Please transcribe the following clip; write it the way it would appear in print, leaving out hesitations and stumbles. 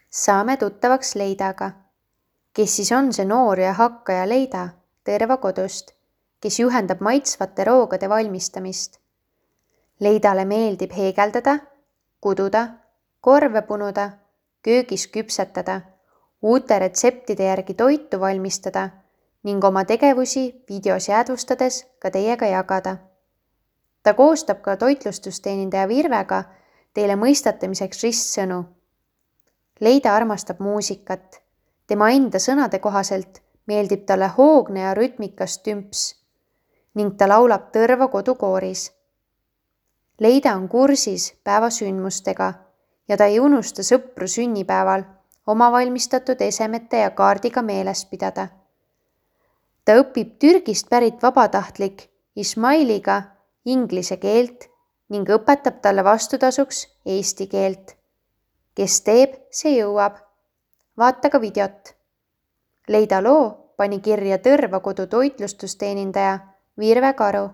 Saame tuttavaks Leidaga. Kes siis on see noor ja hakkaja Leida Tõrva kodust, kes juhendab maitsvate roogade valmistamist? Leidale meeldib heegeldada, kududa, korve punuda, köögis küpsetada, uute retseptide järgi toitu valmistada ning oma tegevusi videos jäädvustades ka teiega jagada. Ta koostab ka toitlustusteenindaja Virvega teile mõistatamiseks ristsõnu. Leida armastab muusikat. Tema enda sõnade kohaselt meeldib talle hoogne ja rütmikas tümps ning ta laulab Tõrva kodukooris. Leida on kursis päeva sündmustega ja ta ei unusta sõpru sünnipäeval oma valmistatud esemete ja kaardiga meeles pidada. Ta õpib Türgist pärit vabatahtlik Ismailiga inglise keelt ning õpetab talle vastutasuks eesti keelt. Kes teeb, see jõuab. Vaata ka videot. Leida loo pani kirja Tõrva kodu toitlustusteenindaja Virve Karu.